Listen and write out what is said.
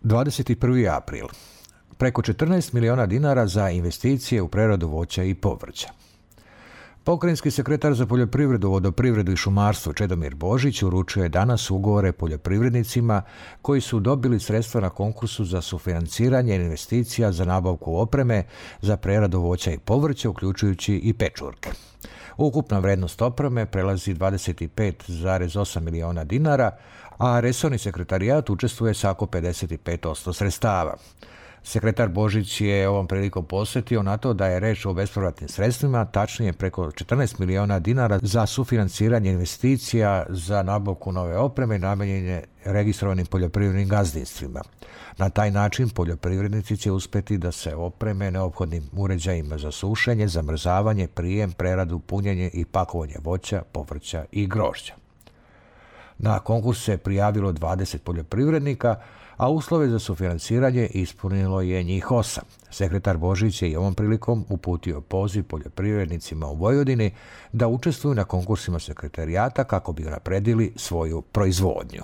21. april. Preko 14 miliona dinara za investicije u preradu voća i povrća. Pokrajinski sekretar za poljoprivredu, vodoprivredu i šumarstvo Čedomir Božić uručio je danas ugovore poljoprivrednicima koji su dobili sredstva na konkursu za sufinanciranje investicija za nabavku opreme za preradu voća i povrća, uključujući i pečurke. Ukupna vrednost opreme prelazi 25,8 miliona dinara, a resorni sekretarijat učestvuje sa oko 55% sredstava. Sekretar Božić je ovom prilikom posjetio na to da je reč o bespovratnim sredstvima, tačnije preko 14 miliona dinara za sufinanciranje investicija za nabavku nove opreme namenjene registrovanim poljoprivrednim gazdinstvima. Na taj način poljoprivrednici će uspjeti da se opreme neophodnim uređajima za sušenje, zamrzavanje, prijem, preradu, punjenje i pakovanje voća, povrća i grožđa. Na konkurs se prijavilo 20 poljoprivrednika, a uslove za sufinanciranje ispunilo je njih 8. Sekretar Božić je i ovom prilikom uputio poziv poljoprivrednicima u Vojvodini da učestvuju na konkursima sekretarijata kako bi unapredili svoju proizvodnju.